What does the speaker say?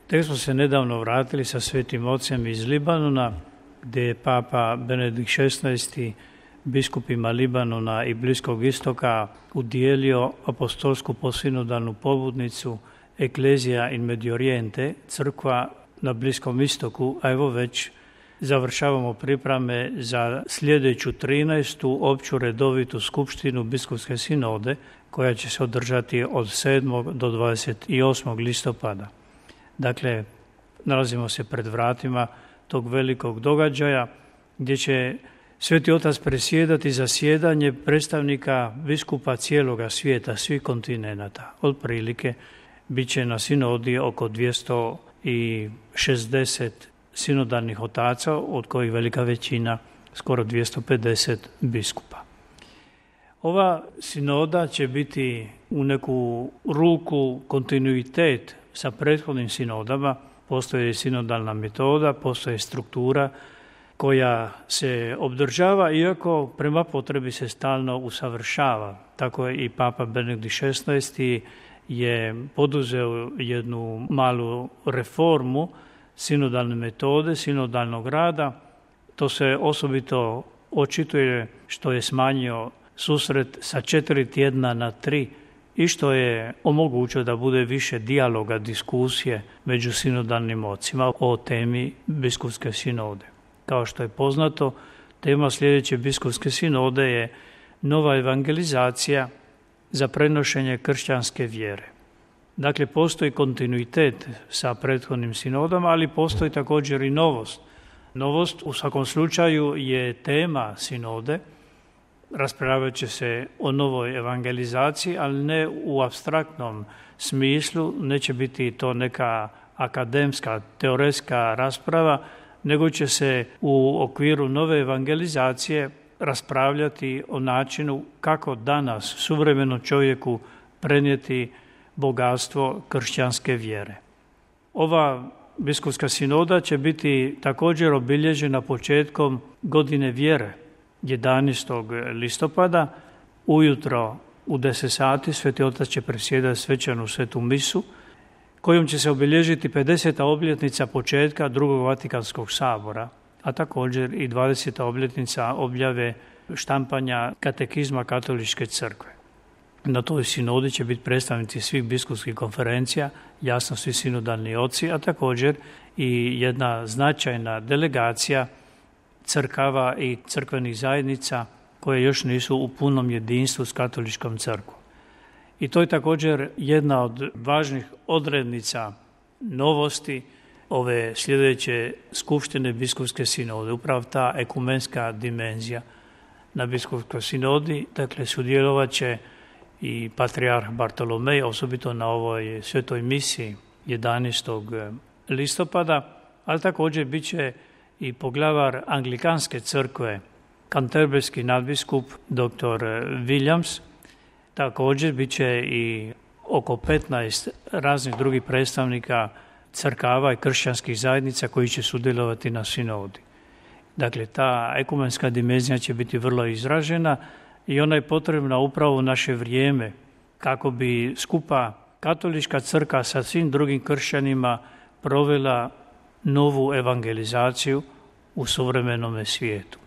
Tek smo se nedavno vratili sa Svetim Ocem iz Libanona, gdje je Papa Benedikt XVI biskupima Libanona i Bliskog istoka udijelio apostolsku posinodalnu pobudnicu Ecclesia in Medio Oriente, crkva na Bliskom istoku, a evo već završavamo pripreme za sljedeću 13. opću redovitu skupštinu biskupske sinode, koja će se održati od 7. do 28. listopada. Dakle, nalazimo se pred vratima tog velikog događaja gdje će Sveti Otac presjedati zasjedanje predstavnika biskupa cijeloga svijeta, svih kontinenata. Otprilike bit će na sinodi oko 260 sinodalnih otaca, od kojih velika većina, skoro 250 biskupa. Ova sinoda će biti u neku ruku kontinuitet sa prethodnim sinodama. Postoji sinodalna metoda, postoji struktura koja se obdržava, iako prema potrebi se stalno usavršava. Tako je i Papa Benedikt XVI je poduzeo jednu malu reformu sinodalne metode, sinodalnog rada. To se osobito očituje što je smanjio susret sa 4 tjedna na 3 i što je omogućio da bude više dijaloga, diskusije među sinodalnim ocima o temi biskupske sinode. Kao što je poznato, tema sljedeće biskupske sinode je nova evangelizacija za prenošenje kršćanske vjere. Dakle, postoji kontinuitet sa prethodnim sinodama, ali postoji također i novost. Novost u svakom slučaju je tema sinode. Raspravljat će se o novoj evangelizaciji, ali ne u apstraktnom smislu, neće biti to neka akademska, teoretska rasprava, nego će se u okviru nove evangelizacije raspravljati o načinu kako danas suvremenom čovjeku prenijeti bogatstvo kršćanske vjere. Ova biskupska sinoda će biti također obilježena početkom godine vjere, 11. listopada, ujutro u 10 sati Sveti Otac će presjedati svečanu svetu misu, kojom će se obilježiti 50. obljetnica početka drugog Vatikanskog sabora, a također i 20. obljetnica objave štampanja katekizma Katoličke crkve. Na toj sinodi će biti predstavnici svih biskupskih konferencija, jasno svi sinodalni oci, a također i jedna značajna delegacija crkava i crkvenih zajednica koje još nisu u punom jedinstvu s Katoličkom crkvom. I to je također jedna od važnih odrednica novosti ove sljedeće skupštine biskupske sinode, upravo ta ekumenska dimenzija na biskupskoj sinodi. Dakle, sudjelovat će i patrijarh Bartolomej, osobito na ovoj svetoj misiji 11. listopada, ali također bit će i poglavar Anglikanske crkve, kanterberski nadbiskup dr. Williams. Također bit će i oko 15 raznih drugih predstavnika crkava i kršćanskih zajednica koji će sudjelovati na sinodi. Dakle, ta ekumenska dimenzija će biti vrlo izražena i ona je potrebna upravo u naše vrijeme kako bi skupa Katolička crkva sa svim drugim kršćanima provela novu evangelizaciju u suvremenome svijetu.